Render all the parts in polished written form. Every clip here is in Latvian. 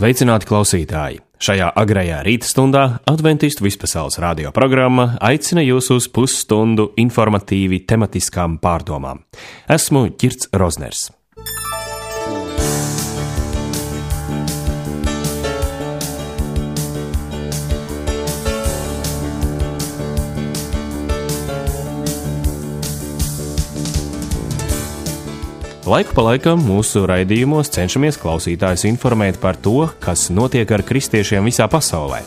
Sveicināti klausītāji! Šajā agrajā rīta stundā Adventistu vispasaules radio programma aicina jūs uz pusstundu informatīvi tematiskām pārdomām. Esmu Ģirds Rozners. Laiku pa laikam mūsu raidījumos cenšamies klausītājus informēt par to, kas notiek ar kristiešiem visā pasaulē.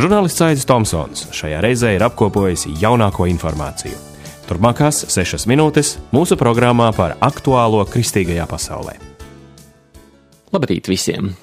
Žurnālists Aidis Tomsons šajā reizē ir apkopojis jaunāko informāciju. Turpmākās 6 minūtes mūsu programmā par aktuālo kristīgajā pasaulē. Labrīt visiem!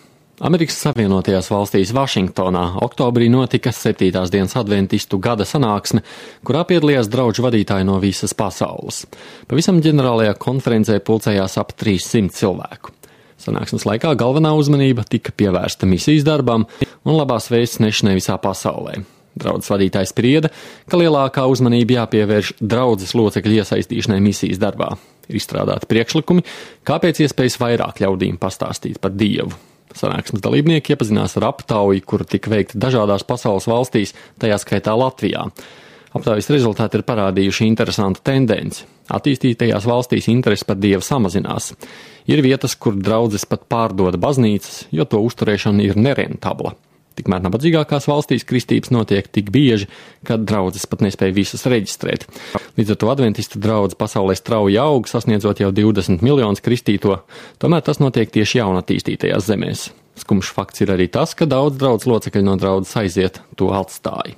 Amerikas Savienotajās valstīs Vašingtonā oktobrī notika 7. dienas adventistu gada sanāksme, kurā piedalījās draugu vadītāji no visas pasaules. Pavisam ģenerālajā konferencē pulcējās ap 300 cilvēku. Sanāksmes laikā galvenā uzmanība tika pievērsta misijas darbam un labās vēstis nešanai visā pasaulē. Draudzes vadītājs sprieda, ka lielākā uzmanība jāpievērš draudzes locekļu iesaistīšanai misijas darbā. Ir izstrādāti priekšlikumi, kāpēc iespējas vairāk ļaudīm pastāstīt par Dievu. Sanāksmes dalībnieki iepazinās ar aptauju, kura tika veikta dažādās pasaules valstīs, tajā skaitā Latvijā. Aptaujas rezultāti ir parādījuši interesantu tendenci. Attīstītajās valstīs interese par Dievu samazinās. Ir vietas, kur draudzes pat pārdoda baznīcas, jo to uzturēšana ir nerentabla. Tikmēr nabadzīgākās valstīs kristības notiek tik bieži, ka draudzes pat nespēja visas reģistrēt. Līdz ar to adventistu draudze pasaulē strauji aug, sasniedzot jau 20 miljonus kristīto, tomēr tas notiek tieši jaunatīstītajās zemēs. Skumjš fakts ir arī tas, ka daudz draudzes locekļu no draudzes aiziet, to atstāja.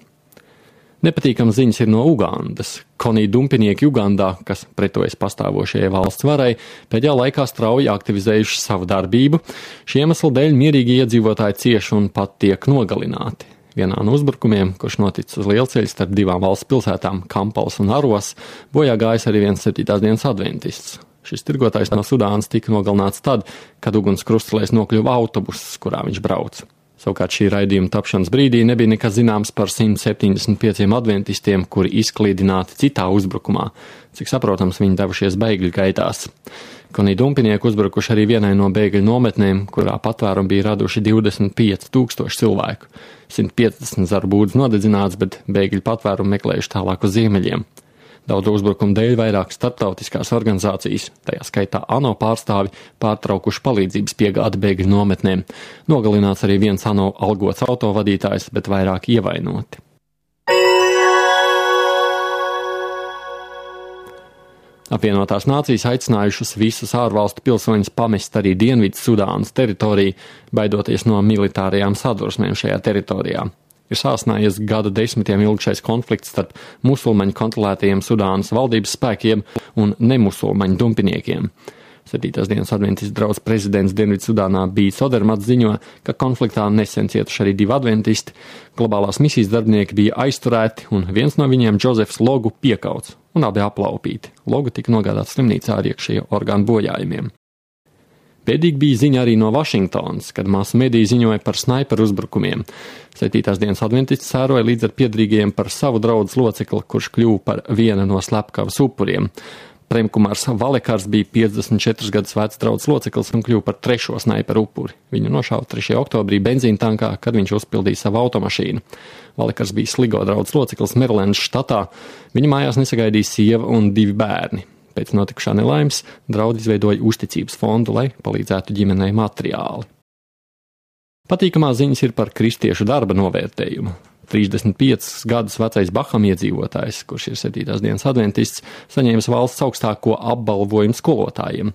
Nepatīkams ziņas ir no Ugandas. Konī dumpinieki Ugandā, kas pretojas pastāvošajai valsts varai, pēdējā laikā strauji aktivizējuši savu darbību. Šī iemesla dēļ mierīgi iedzīvotāji cieši un pat tiek nogalināti. Vienā no uzbrukumiem, kurš noticis uz lielceļa starp divām valsts pilsētām, Kampals un Aros, bojā gājis arī viens 7. dienas adventists. Šis tirgotājs no Sudānas tika nogalināts tad, kad uguns krustelēs nokļuva autobuss, kurā viņš brauca. Savukārt šī raidījuma tapšanas brīdī nebija nekas zināms par 175 adventistiem, kuri izklīdināti citā uzbrukumā. Cik saprotams, viņi devušies bēgļu gaitās. Konī dumpinieki uzbrukuši arī vienai no bēgļu nometnēm, kurā patvērumu bija raduši 25,000 cilvēku. 150 zaru būdas nodedzināts, bet bēgļu patvērumu meklējuši tālāk uz ziemeļiem. Daudz uzbrukumu dēļ vairāk starptautiskās organizācijas, tajā skaitā ANO pārstāvi, pārtraukuši palīdzības piegādi bēgļu nometnēm. Nogalināts arī viens ANO algots autovadītājs, bet vairāk ievainoti. Apvienotās nācijas aicinājušas visus ārvalstu pilsoņus pamest arī Dienvidu Sudānas teritoriju, baidoties no militārajām sadursmēm šajā teritorijā. Ir sāsnājies gadu desmitiem ilgšais konflikts starp musulmaņu kontrolētajiem Sudānas valdības spēkiem un nemusulmaņu dumpiniekiem. 7. dienas adventistu draudzes prezidents Dienvidsudānā Bīts Odermats ziņo, ka konfliktā nesen cietuši arī 2 adventisti. Globālās misijas darbinieki bija aizturēti un viens no viņiem, Džozefs Logu, piekauts un abi aplaupīti. Logu tika nogādāts slimnīcā ar iekšējo orgānu bojājumiem. Bēdīgi bija ziņa arī no Vašingtonas, kad masu mediji ziņoja par snaiperu uzbrukumiem. 7. dienas adventists sēroja līdz ar piedrīgajiem par savu draudzes locekli, kurš kļuva par viena no slepkavas upuriem. Premkumārs Valekars bija 54 gadus vecs draudzes loceklis un kļuva par 3. snaiperu upuri. Viņu nošāva 3. oktobrī benzīna tankā, kad viņš uzpildīja savu automašīnu. Valekars bija Sligo draudzes loceklis Merilendas štatā. Viņa mājās nesagaidīja sieva un 2 bērni. Pēc notikušā nelaimes draudze izveidoja uzticības fondu, lai palīdzētu ģimenei materiāli. Patīkamā ziņas ir par kristiešu darba novērtējumu. 35 gadus vecais Baham iedzīvotājs, kurš ir 7. dienas adventists, saņēmis valsts augstāko apbalvojumu skolotājiem.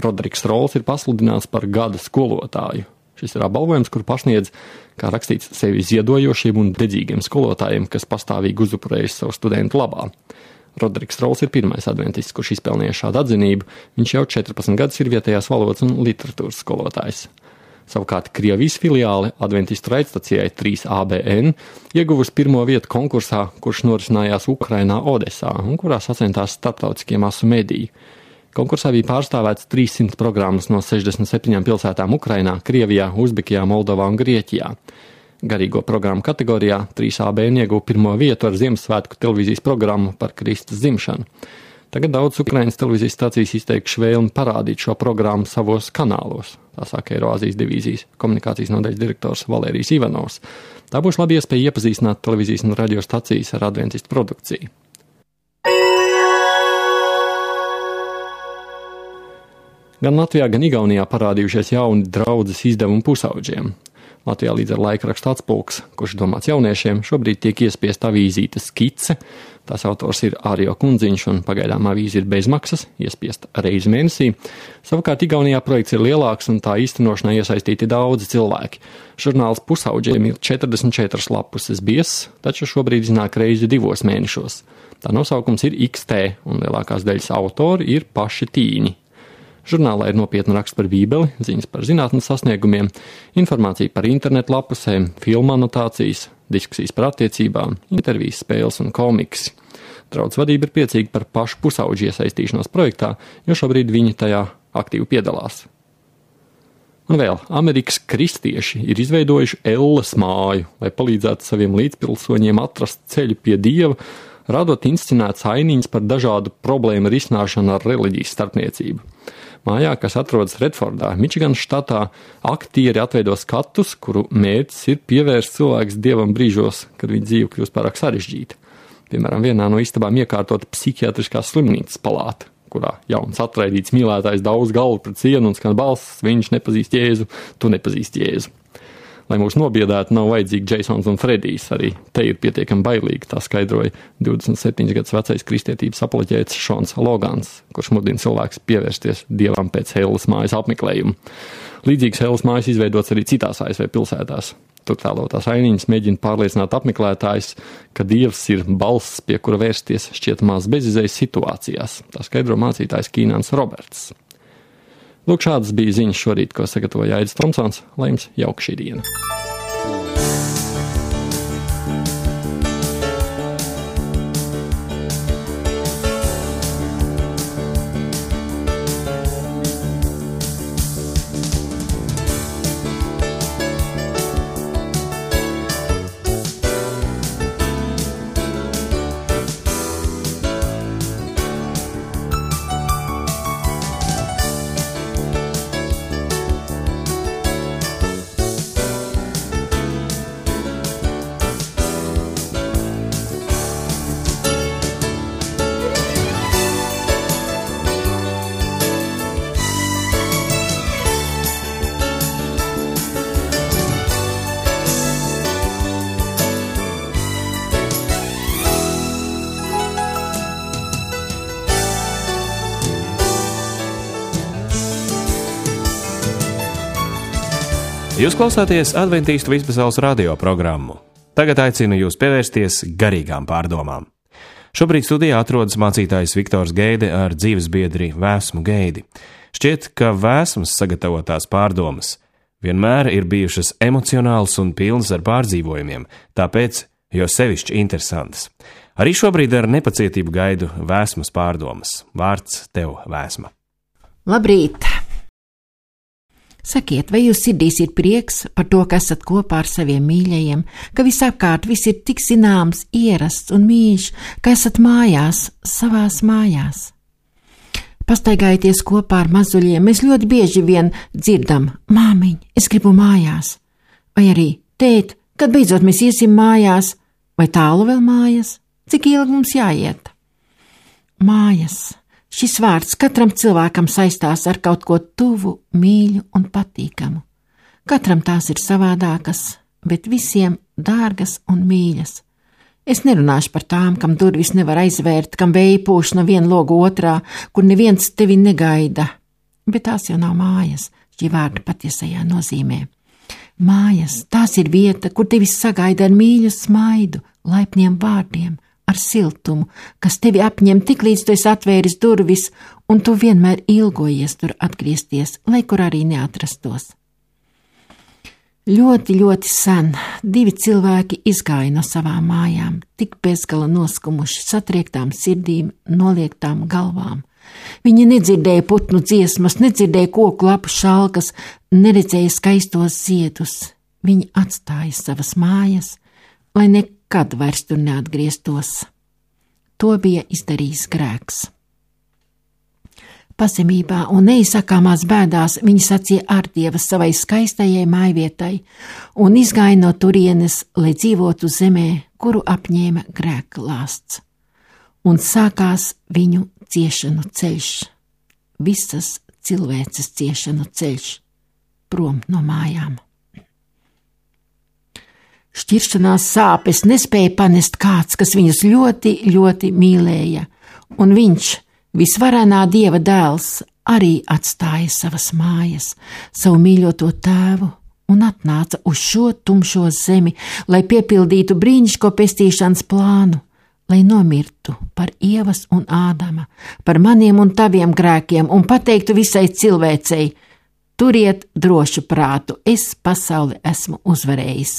Rodriks Rols ir pasludināts par gada skolotāju. Šis ir apbalvojums, kur pasniedz, kā rakstīts, sevi ziedojošiem un dedzīgiem skolotājiem, kas pastāvīgi uzupurējas savu studentu labā. Rodriks Rols ir pirmais adventists, kurš izpelnīja šādu atzinību. Viņš jau 14 gadus ir vietējās valodas un literatūras skolotājs. Savukārt Krievijas filiāle adventistu raidstacijai 3ABN ieguvusi 1. vietu konkursā, kurš norisinājās Ukrainā Odesā un kurā sacentās starptautiskie masu mediji. Konkursā bija pārstāvēts 300 programmas no 67 pilsētām Ukrainā, Krievijā, Uzbekijā, Moldovā un Grieķijā. Garīgo programmu kategorijā 3ABN ieguva 1. vietu ar Ziemassvētku televīzijas programmu par Kristus dzimšanu. Tagad daudz Ukrainas televīzijas stācijas izteikuši vēlmi parādīt šo programmu savos kanālos, tā saka Eiroāzijas divīzijas komunikācijas nodaļas direktors Valērijs Ivanovs. Tā būs laba iespēja iepazīstināt televīzijas un radio stacijas ar adventistu produkciju. Gan Latvijā, gan Igaunijā parādījušies jauni draudzes izdevumi pusauģiem. Latvijā līdz ar laikrakstu Atspulks, kurš domāts jauniešiem, šobrīd tiek iespiesta avīzīta Skice. Tās autors ir Ārio Kundziņš un pagaidām avīze ir bezmaksas, iespiesta reizi mēnesī. Savukārt Igaunijā projekts ir lielāks un tā īstenošanā iesaistīti daudzi cilvēki. Žurnāls pusauģiem ir 44 lapuses biezs, taču šobrīd iznāk reizi 2 mēnešos. Tā nosaukums ir XT un lielākās daļas autori ir paši tīņi. Žurnālā ir nopietna raksts par Bībeli, ziņas par zinātnes sasniegumiem, informācija par internetu lapusēm, filmu anotācijas, diskusijas par attiecībām, intervijas, spēles un komiksi. Draudz vadība ir priecīga par pašu pusauģu iesaistīšanos projektā, jo šobrīd viņi tajā aktīvi piedalās. Un vēl, Amerikas kristieši ir izveidojuši Elles māju, lai palīdzētu saviem līdzpilsoņiem atrast ceļu pie Dieva, radot inscenētas ainiņas par dažādu problēmu risināšanu ar reliģijas starpniecību. Mājā, kas atrodas Redfordā, Mičiganas štatā, aktieri atveido skatus, kuru mērķis ir pievērst cilvēks Dievam brīžos, kad viņa dzīve kļūst pārāk sarežģīta. Piemēram, vienā no istabām iekārtota psihiatriskās slimnīcas palāta, kurā jauns atraidīts mīlētājs daudz galvu pret sienu un skan balss, viņš nepazīst Jēzu, tu nepazīst Jēzu. Lai mūs nobiedētu, nav vajadzīgi Jasons un Fredijs, arī te ir pietiekami bailīgi, tā skaidroja 27 gadus vecais kristietības apoloģēts Šons Logans, kurš mudina cilvēks pievērsties Dievam pēc Elles mājas apmeklējuma. Līdzīgas Elles mājas izveidots arī citās ASV pilsētās. Tur tēlotās ainiņas mēģina pārliecināt apmeklētājus, ka Dievs ir balss, pie kura vērsties šķietamās bezizējas situācijās, tā skaidro mācītājs Kīnāns Roberts. Lūk, šādas bija ziņas šorīt, ko sagatavoja Aidis Tomsons, lai jums jauka šī diena. Jūs klausāties Adventīstu vispasaules radio programmu. Tagad aicinu jūs pievērsties garīgām pārdomām. Šobrīd studijā atrodas mācītājs Viktors Geide ar dzīvesbiedri Vēsmu Geidi. Šķiet, ka Vēsmas sagatavotās pārdomas vienmēr ir bijušas emocionāls un pilnas ar pārdzīvojumiem, tāpēc jo sevišķi interesantas. Arī šobrīd ar nepacietību gaidu Vēsmas pārdomas. Vārds tev, Vēsma. Labrīt! Sakiet, vai jūs sirdīs ir prieks par to, ka esat kopā ar saviem mīļajiem, ka visapkārt viss ir tik zināms, ierasts un mīļš, ka esat mājās, savās mājās? Pastaigājieties kopā ar mazuļiem, mēs ļoti bieži vien dzirdam: māmiņ, es gribu mājās. Vai arī: tēt, kad beidzot mēs iesim mājās, vai tālu vēl mājas? Cik ilgi mums jāiet? Mājas. Šis vārds katram cilvēkam saistās ar kaut ko tuvu, mīļu un patīkamu. Katram tās ir savādākas, bet visiem dārgas un mīļas. Es nerunāšu par tām, kam durvis nevar aizvērt, kam vēja pūš no viena loga otrā, kur neviens tevi negaida. Bet tās jau nav mājas, šī vārda patiesajā nozīmē. Mājas, tās ir vieta, kur tevi sagaida ar mīļu smaidu, laipniem vārdiem, ar siltumu, kas tevi apņem tik līdz tu esi atvēris durvis, un tu vienmēr ilgojies tur atgriezties, lai kur arī neatrastos. Ļoti, ļoti sen 2 cilvēki izgāja no savām mājām, tik bezgala noskumuši, satriektām sirdīm, noliektām galvām. Viņi nedzirdēja putnu dziesmas, nedzirdēja koku lapu šalkas, neredzēja skaistos ziedus. Viņi atstāja savas mājas, lai nekad vairs tur neatgrieztos. To bija izdarījis grēks. Pazemībā un neizsakāmās bēdās viņa sacīja ārdievas savai skaistajai mājvietai un izgāja no turienes, lai dzīvotu zemē, kuru apņēma grēka lāsts. Un sākās viņu ciešanu ceļš, visas cilvēces ciešanu ceļš, prom no mājām. Šķiršanās sāpes nespēja panest kāds, kas viņus ļoti, ļoti mīlēja, un viņš, visvarenā Dieva dēls, arī atstāja savas mājas, savu mīļoto tēvu un atnāca uz šo tumšo zemi, lai piepildītu brīnišķīgo pestīšanas plānu, lai nomirtu par Ievas un Ādama, par maniem un taviem grēkiem un pateiktu visai cilvēcei: turiet drošu prātu, es pasauli esmu uzvarējis.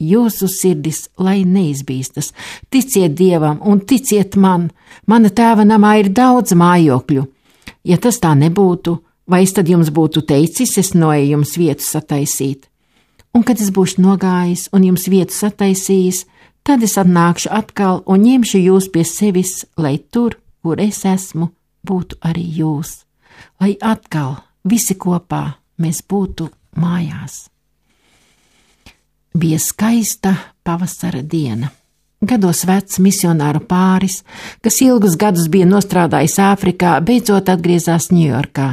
Jūsu sirdis, lai neizbīstas, ticiet Dievam un ticiet man, mana tēva namā ir daudz mājokļu. Ja tas tā nebūtu, vai es tad jums būtu teicis, es noeju jums vietu sataisīt? Un kad es būšu nogājis un jums vietu sataisījis, tad es atnākšu atkal un ņemšu jūs pie sevis, lai tur, kur es esmu, būtu arī jūs, lai atkal visi kopā mēs būtu mājās. Bija skaista pavasara diena. Gados vecs misionāru pāris, kas ilgus gadus bija nostrādājis Āfrikā, beidzot atgriezās Ņujorkā.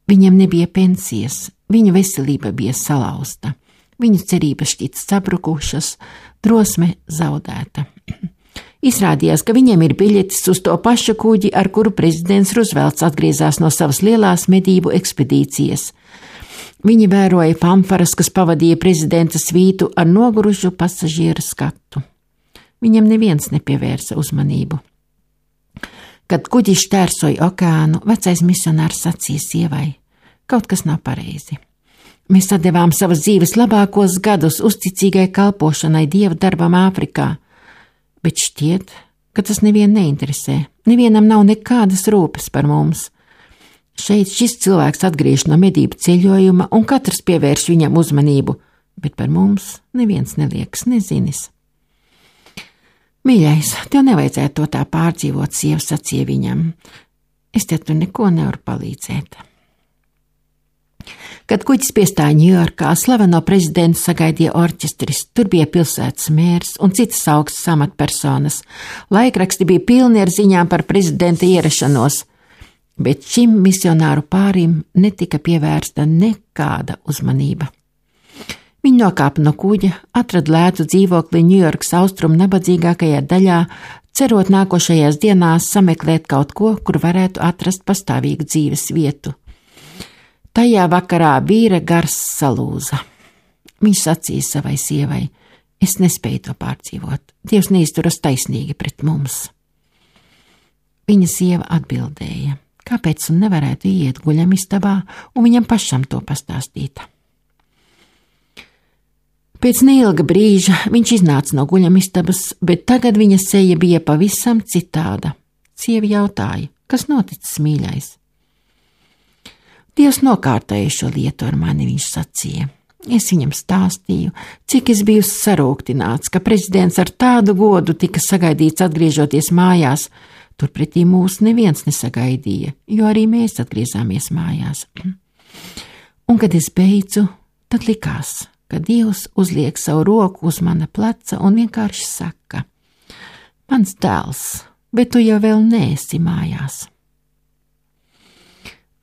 Viņam nebija pensijas, viņa veselība bija salauzta, viņu cerības šķita sabrukušas, drosme zaudēta. Izrādījās, ka viņam ir biļetes uz to pašu kuģi, ar kuru prezidents Ruzvelts atgriezās no savas lielās medību ekspedīcijas. Viņi vēroja fanfaras, kas pavadīja prezidenta svītu ar nogurušu pasažieru skatu. Viņam neviens nepievērsa uzmanību. Kad kuģis šķērsoja okeānu, vecais misionārs sacīja sievai: kaut kas nav pareizi. Mēs atdevām savas dzīves labākos gadus uzticīgai kalpošanai Dieva darbam Āfrikā, bet šķiet, ka tas nevienu neinteresē, nevienam nav nekādas rūpes par mums. Šeit šis cilvēks atgriež no medību ceļojuma, un katrs pievērš viņam uzmanību, bet par mums neviens neliekas nezinis. Mīļais, tev nevajadzētu to tā pārdzīvot, sieva sacīja viņam. Es te tur neko nevaru palīdzēt. Kad kuģis piestāja Ņujorkā, slaveno prezidentu sagaidīja orķestris, tur bija pilsētas mērs un citas augstas amatpersonas. Laikraksti bija pilni ar ziņām par prezidenta ierašanos, bet šim misionāru pārim netika pievērsta nekāda uzmanība. Viņi nokāpa no kuģa, atrada lētu dzīvokli Ņujorkas austrumu nabadzīgākajā daļā, cerot nākošajās dienās sameklēt kaut ko, kur varētu atrast pastāvīgu dzīves vietu. Tajā vakarā vīra gars salūza. Viņš sacīja savai sievai: es nespēju to pārdzīvot, Dievs neizturas taisnīgi pret mums. Viņa sieva atbildēja: kāpēc un nevarētu iet guļamistabā un viņam pašam to pastāstīt? Pēc neilga brīža viņš iznāca no guļamistabas, bet tagad viņa seja bija pavisam citāda. Sieva jautāja: kas noticis, mīļais? Dievs nokārtoja šo lietu ar mani, viņš sacīja. Es viņam stāstīju, cik es biju sarūktināts, ka prezidents ar tādu godu tika sagaidīts atgriežoties mājās. Turpretī mūs neviens nesagaidīja, jo arī mēs atgriezāmies mājās. Un, kad es beidzu, tad likās, ka Dievs uzliek savu roku uz mana pleca un vienkārši saka: mans dēls, bet tu jau vēl neesi mājās.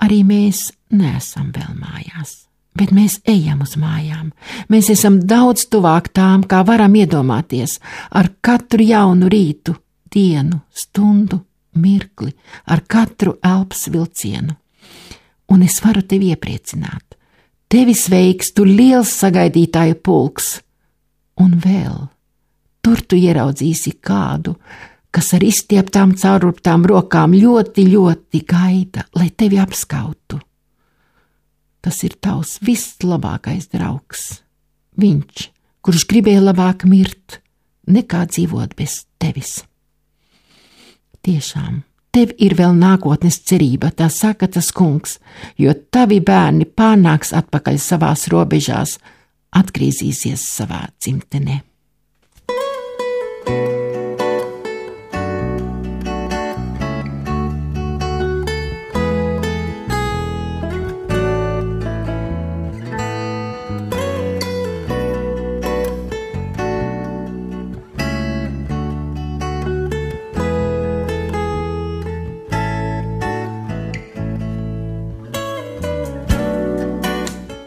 Arī mēs neesam vēl mājās, bet mēs ejam uz mājām. Mēs esam daudz tuvāk tām, kā varam iedomāties, ar katru jaunu rītu, dienu, stundu, mirkli, ar katru elpas vilcienu. Un es varu tevi iepriecināt. Tevi sveiks tu liels sagaidītāju pulks. Un vēl, tur tu ieraudzīsi kādu, kas ar izstieptām caururptām rokām ļoti, ļoti gaida, lai tevi apskautu. Tas ir tavs vislabākais draugs. Viņš, kurš gribēja labāk mirt, nekā dzīvot bez tevis. Tiešām, tev ir vēl nākotnes cerība, tā saka tas kungs, jo tavi bērni pārnāks atpakaļ savās robežās, atgriezīsies savā dzimtenē.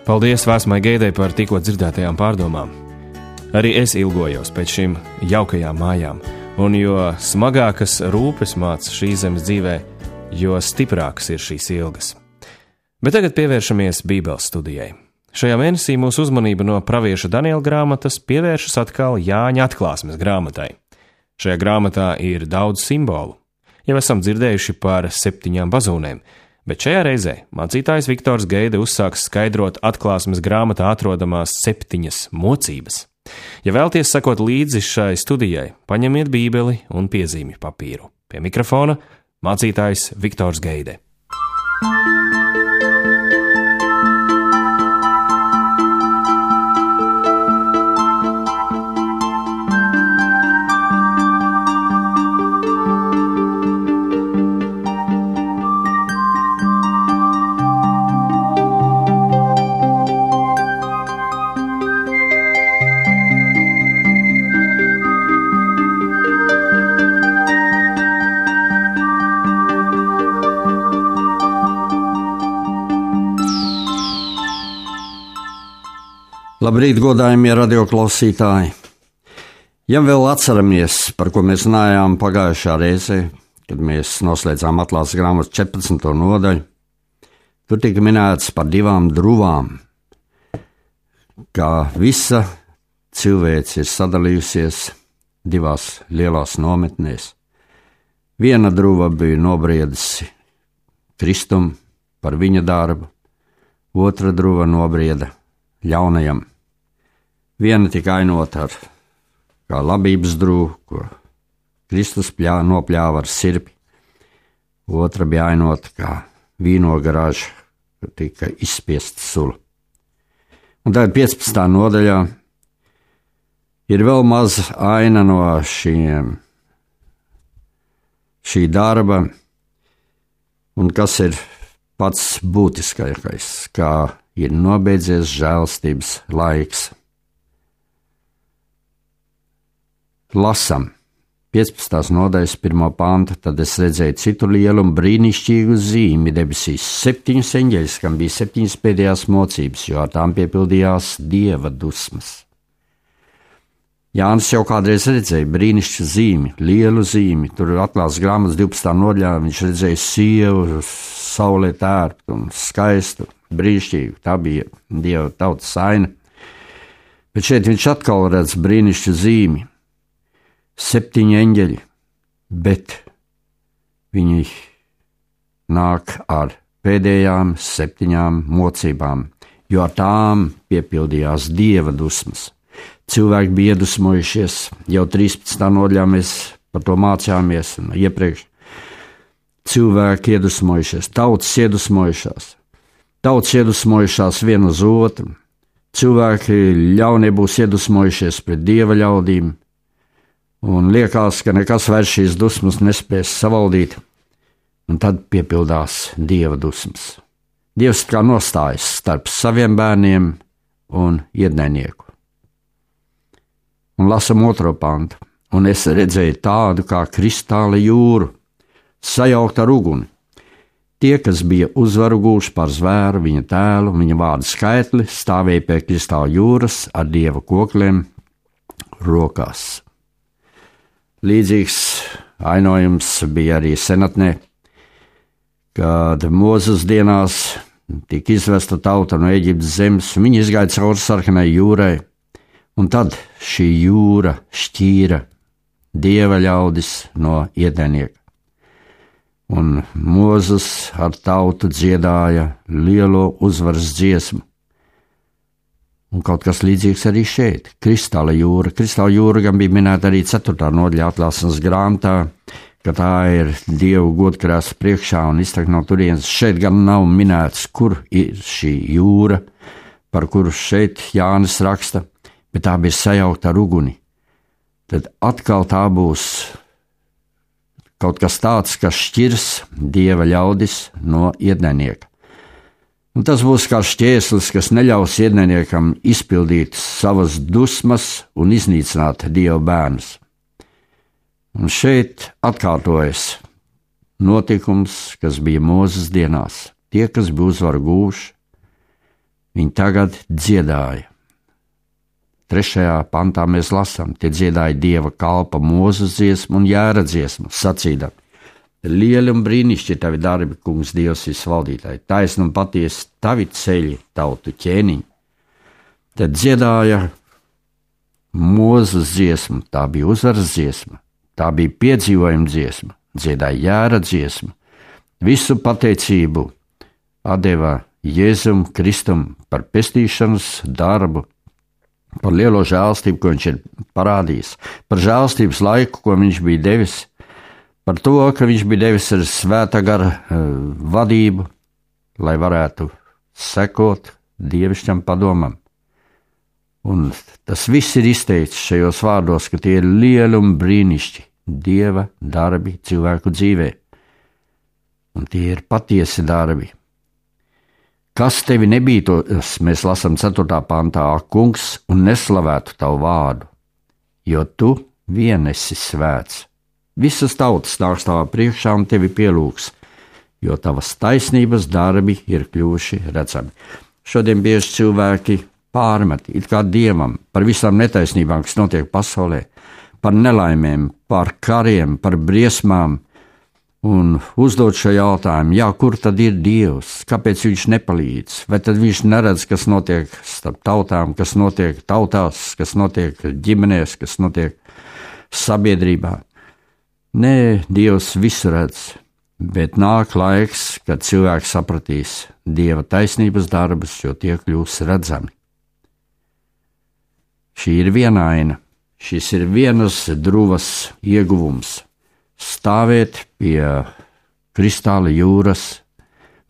Paldies Vēsmai Geidei par tikko dzirdētajām pārdomām. Arī es ilgojos pēc šīm jaukajām mājām, un jo smagākas rūpes māca šīs zemes dzīvē, jo stiprākas ir šīs ilgas. Bet tagad pievēršamies Bībeles studijai. Šajā mēnesī mūsu uzmanība no pravieša Daniela grāmatas pievēršas atkal Jāņa atklāsmes grāmatai. Šajā grāmatā ir daudz simbolu. Jau esam dzirdējuši par 7 bazūnēm, bet šajā reizē mācītājs Viktors Geide uzsāks skaidrot atklāsmes grāmatā atrodamās 7 mocības. Ja vēlties sekot līdzi šai studijai, paņemiet bībeli un piezīmju papīru. Pie mikrofona mācītājs Viktors Geide. Labrīt, godājumie radioklausītāji! Ja vēl atceramies, par ko mēs runājām pagājušā reizē, kad mēs noslēdzām atklāsmes grāmatas 14. nodaļu, tur tika minēts par 2 druvām, kā visa cilvēce ir sadalījusies 2 lielās nometnēs. Viena druva bija nobriedusi Kristum par viņa darbu, otra druva nobrieda ļaunajam. Viena tika ainota ar kā labības drūgu, ko Kristus nopļāva ar sirpi. Otra bija ainota kā vīnogaraža, kur tika izspiesta sula. Un tagad 15. nodaļā ir vēl maza aina no šī darba, un kas ir pats būtiskākais, kā ir nobeidzies žēlstības laiks. Lasam 15. nodaļas 1. pantu, tad es redzēju citu lielu un brīnišķīgu zīmi debesīs, 7 eņģeļus, kam bija 7 pēdējās mocības, jo ar tām piepildījās Dieva dusmas. Jānis jau kādreiz redzēja brīnišķīgu zīmi, lielu zīmi, tur atklāsmes grāmatas 12. nodaļā viņš redzēja sievu, saulē tērptu un skaistu, brīnišķīgu, tā bija Dieva tautas aina. Bet šeit viņš atkal redz brīnišķīgu zīmi. 7 eņģeļi, bet viņi nāk ar pēdējām 7 mocībām, jo ar tām piepildījās Dieva dusmas. Cilvēki bija iedusmojušies, jau 13. nodaļā mēs par to mācījāmies un iepriekš. Cilvēki iedusmojušies, tautas iedusmojušās viena uz otru, cilvēki ļaunie būs iedusmojušies pret Dieva ļaudīm, un liekas, ka nekas vairs šīs dusmas nespēs savaldīt, un tad piepildās Dieva dusmas. Dievs kā nostājas starp saviem bērniem un ienaidnieku. Un lasam 2. pantu, un es redzēju tādu kā kristāla jūru, sajaukt ar uguni. Tie, kas bija uzvaru gūši pār zvēru, viņa tēlu, viņa vārdu skaitli, stāvēja pie kristāla jūras ar Dieva kokliem rokās. Līdzīgs ainojums bija arī senatnē, kad Mūzes dienās tika izvesta tauta no Eģiptes zemes, un viņi izgāja cauri sarkanai jūrai, un tad šī jūra šķīra Dieva ļaudis no ienaidnieka. Un Mūzes ar tautu dziedāja lielo uzvaras dziesmu. Un kaut kas līdzīgs arī šeit, kristāla jūra. Kristāla jūra gan bija minēta arī 4. nodaļā atklāsmes grāmatā, ka tā ir Dievu godkrēsla priekšā un iztek no turienes. Šeit gan nav minēts, kur ir šī jūra, par kuru šeit Jānis raksta, bet tā bija sajaukta ar uguni. Tad atkal tā būs kaut kas tāds, kas šķirs Dieva ļaudis no ienaidnieka. Un tas būs kā šķērslis, kas neļaus ienaidniekam izpildīt savas dusmas un iznīcināt Dieva bērnus. Un šeit atkārtojas notikums, kas bija Mūzes dienās. Tie, kas bija uzvaru gūši, viņi tagad dziedāja. 3. pantā mēs lasām, tie dziedāja Dieva kalpa Mūzes dziesmu un Jēra dziesmu, sacīdami: lieli un brīnišķīgi tavi darbi, kungs Dievs visvaldītāji, taisni un patiesi tavi ceļi, tautu ķēniņi. Tad dziedāja Mūzes dziesmu, tā bija uzvaras dziesma, tā bija piedzīvojuma dziesma, dziedāja Jēra dziesmu, visu pateicību atdeva Jēzum Kristum par pestīšanas darbu, par lielo žēlstību, ko viņš ir parādījis, par žēlstības laiku, ko viņš bija devis, par to, ka viņš bija devis ar svētā gara vadību, lai varētu sekot dievišķam padomam. Un tas viss ir izteikts šajos vārdos, ka tie ir lieli un brīnišķi Dieva darbi cilvēku dzīvē. Un tie ir patiesi darbi. Kas tevi nebītos, mēs lasām 4. pantā, kungs, un neslavētu tavu vārdu, jo tu vien esi svēts. Visas tautas nāks tavā priekšā un tevi pielūgs, jo tavas taisnības darbi ir kļuvuši redzami. Šodien bieži cilvēki pārmet it kā Dievam par visām netaisnībām, kas notiek pasaulē, par nelaimēm, par kariem, par briesmām, un uzdot šo jautājumu, kur tad ir Dievs, kāpēc viņš nepalīdz, vai tad viņš neredz, kas notiek starp tautām, kas notiek tautās, kas notiek ģimenēs, kas notiek sabiedrībā. Nē, Dievs visu redz, bet nāk laiks, kad cilvēks sapratīs Dieva taisnības darbus, jo tie kļūs redzami. Šī ir viena aina, šis ir vienas druvas ieguvums. Stāvēt pie kristāla jūras,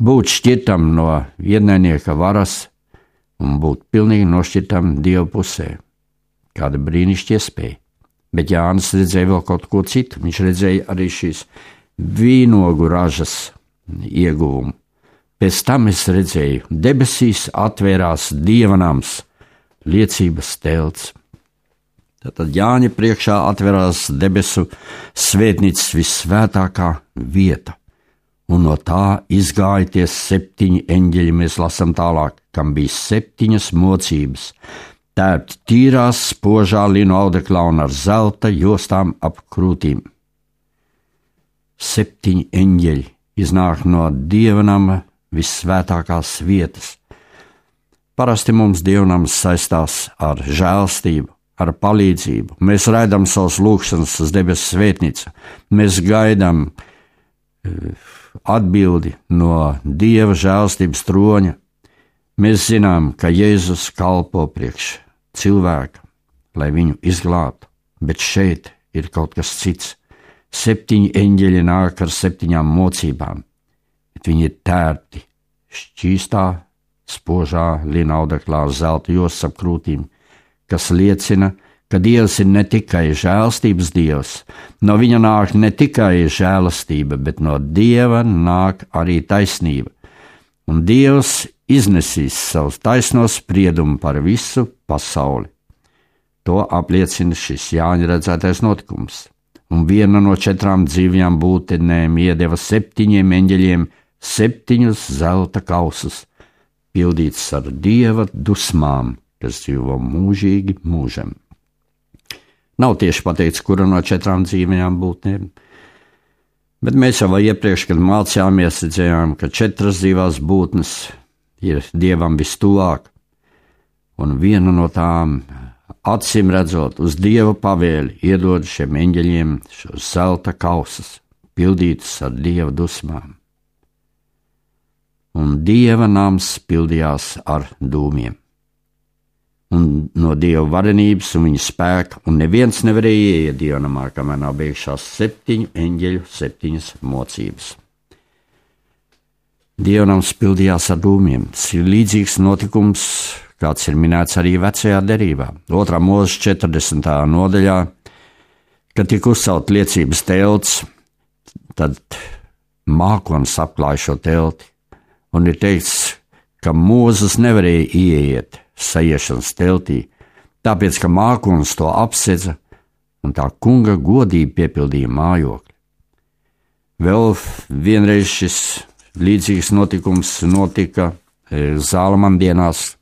būt šķirtam no ienaidnieka varas un būt pilnīgi nošķirtam Dieva pusē. Kāda brīnišķīga iespēja. Bet Jānis redzēja vēl kaut ko citu. Viņš redzēja arī šīs vīnogu ražas ieguvumu. Pēc tam es redzēju, debesīs atvērās Dieva nams, liecības telts. Tad Jāņa priekšā atverās debesu svētnīcas vissvētākā vieta, un no tā izgāja tie 7 eņģeļi, mēs lasām tālāk, kam bija 7 mocības, tērpti tīrās spožā linu audeklā un ar zelta jostām ap krūtīm. 7 eņģeļi iznāk no Dievnama vissvētākās vietas. Parasti mums Dievnams saistās ar žēlstību, ar palīdzību. Mēs raidām savus lūgšanas uz debesu svētnīcu. Mēs gaidām atbildi no Dieva žēlstības troņa. Mēs zinām, ka Jēzus kalpo priekš cilvēka, lai viņu izglābtu, bet šeit ir kaut kas cits. 7 eņģeļi nāk ar 7 mocībām, bet viņi ir tērti šķīstā, spožā lina audeklā zelta jostas ap krūtīm, kas liecina, ka Dievs ir ne tikai žēlstības Dievs, no viņa nāk ne tikai žēlastība, bet no Dieva nāk arī taisnība. Un Dievs iznesīs savus taisnos spriedumu par visu pasauli. To apliecina šis Jāņa redzētais notikums. Un viena no 4 dzīvajām būtnēm iedeva 7 eņģeļiem 7 zelta kausus, pildīts ar Dieva dusmām, kas dzīvo mūžīgi mūžam. Nav tieši pateikts, kura no 4 dzīvajām būtnēm, bet mēs jau iepriekš, kad mācījāmies, redzējām, ka 4 dzīvās būtnes ir Dievam vistuvāk, un viena no tām, acīm redzot, uz Dieva pavēli iedod šiem eņģeļiem šos zelta kausus, pildītus ar Dieva dusmām. Un Dieva nams pildījās ar dūmiem. Un no Dieva varenības un viņa spēka, un neviens nevarēja ieiet Dieva namā, kamēr nav beigšās 7 eņģeļu 7 mocības. Dieva nams pildījās ar dūmiem. Tas ir līdzīgs notikums, kāds ir minēts arī vecajā derībā. 2. mūzes 40. nodaļā, kad tika uzcelt liecības telts, tad mākonis apklāja šo telti, un ir teikts, ka Mūzes nevarēja ieiet sajiešanas teltī, tāpēc, ka mākonis to apsedza, un tā kunga godība piepildīja mājokli. Vēl vienreiz šis līdzīgs notikums notika Zālamana dienās.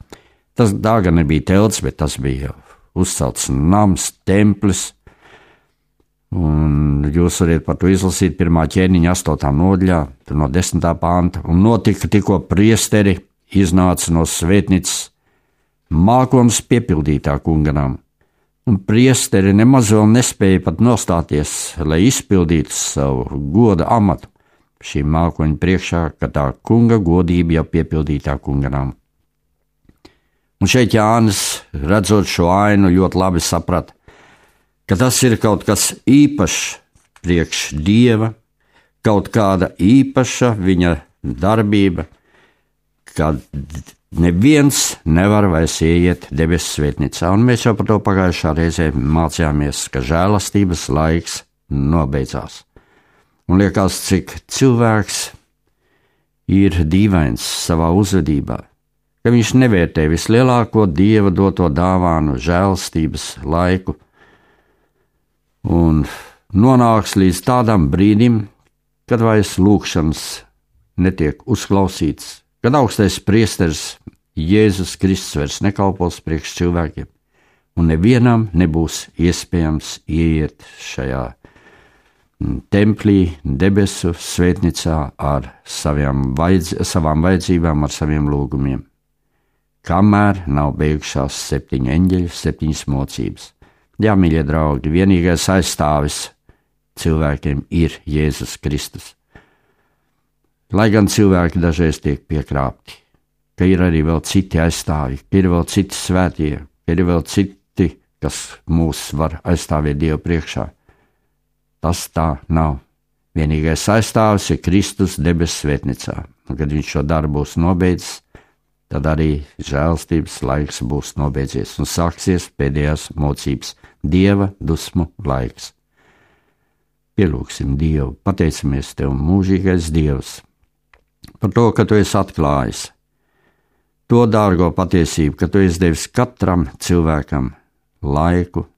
Tā gan nebija telts, bet tas bija uzcelts nams, templis. Un jūs varat par to izlasīt 1. ķēniņa 8. nodaļā, no 10. panta. Un notika, tikko priesteri iznāca no svētnīcas mākonis piepildītā kunganām. Un priesteri nemaz vēl nespēja pat nostāties, lai izpildītu savu goda amatu šī mākoņa priekšā, ka tā kunga godība jau piepildītā kunganām. Un šeit Jānis, redzot šo ainu, ļoti labi saprata, ka tas ir kaut kas īpašs priekš Dieva, kaut kāda īpaša viņa darbība, kad neviens nevar vairs ieiet debesu svētnīcā. Un mēs jau par to pagājušā reizē mācījāmies, ka žēlastības laiks nobeidzās. Un liekas, cik cilvēks ir dīvains savā uzvedībā, ka viņš nevērtē vislielāko Dieva doto dāvānu žēlastības laiku un nonāks līdz tādam brīdim, kad vairs lūgšanas netiek uzklausīts, kad augstais priesteris Jēzus Kristus vairs nekalpos priekš cilvēkiem, un nevienam nebūs iespējams ieiet šajā templī, debesu svētnīcā ar savām vajadzībām, ar saviem lūgumiem, kamēr nav beigušās 7 eņģeļu, 7 mocības. Jā, mīļie draugi, vienīgais aizstāvis cilvēkiem ir Jēzus Kristus. Lai gan cilvēki dažreiz tiek piekrāpti, ka ir arī vēl citi aizstāvji, ka ir vēl citi svētie, ka ir vēl citi, kas mūs var aizstāvēt Dievu priekšā. Tas tā nav. Vienīgais aizstāvis ir Kristus debesu svētnīcā. Un, kad viņš šo darbu būs nobeidzis, tad arī žēlstības laiks būs nobeidzies un sāksies pēdējās mocības, Dieva dusmu laiks. Pielūgsim Dievu, pateicamies Tev, mūžīgais Dievs, par to, ka Tu esi atklājis to dārgo patiesību, ka Tu esi devis katram cilvēkam laiku,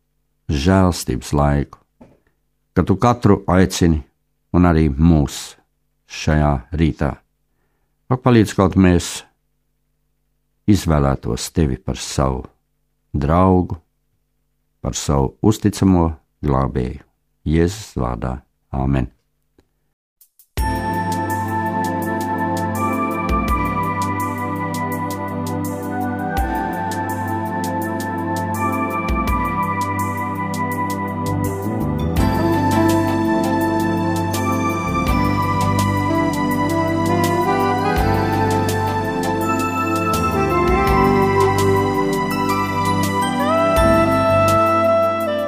žēlstības laiku, ka Tu katru aicini un arī mūs šajā rītā. Palīdz, kaut mēs izvēlētos Tevi par savu draugu, par savu uzticamo glābēju. Jēzus vārdā. Āmen.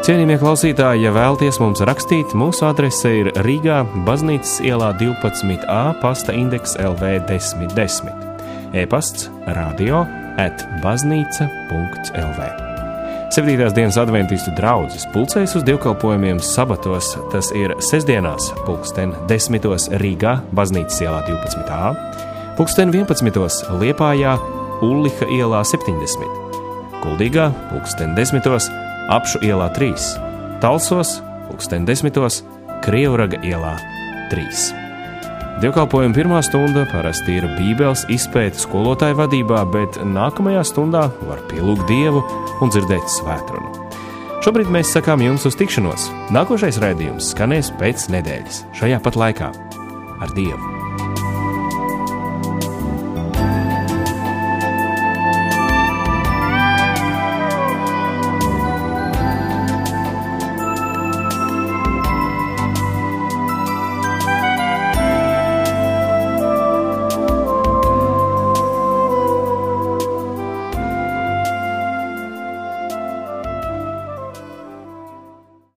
Cienījamie klausītāji, ja vēlaties mums rakstīt, mūsu adrese ir Rīgā, Baznīcas ielā 12A, pasta indeks LV 1010. E-pasts radio@baznīca.lv. 7. dienas adventistu draudzes pulcējas uz dievkalpojumiem sabatos, tas ir sestdienās, 10:10 Rīgā, Baznīcas ielā 12A, 11:11 Liepājā, Ulliha ielā 70, Kuldīgā, 10:10 Apšu ielā 3, Talsos, 10:10, Krievraga ielā 3. Dievkalpojuma pirmā stunda parasti ir Bībeles izpēte skolotāju vadībā, bet nākamajā stundā var pielūgt Dievu un dzirdēt svētrunu. Šobrīd mēs sakām jums uz tikšanos. Nākošais raidījums skanēs pēc nedēļas, šajā pat laikā. Ar Dievu!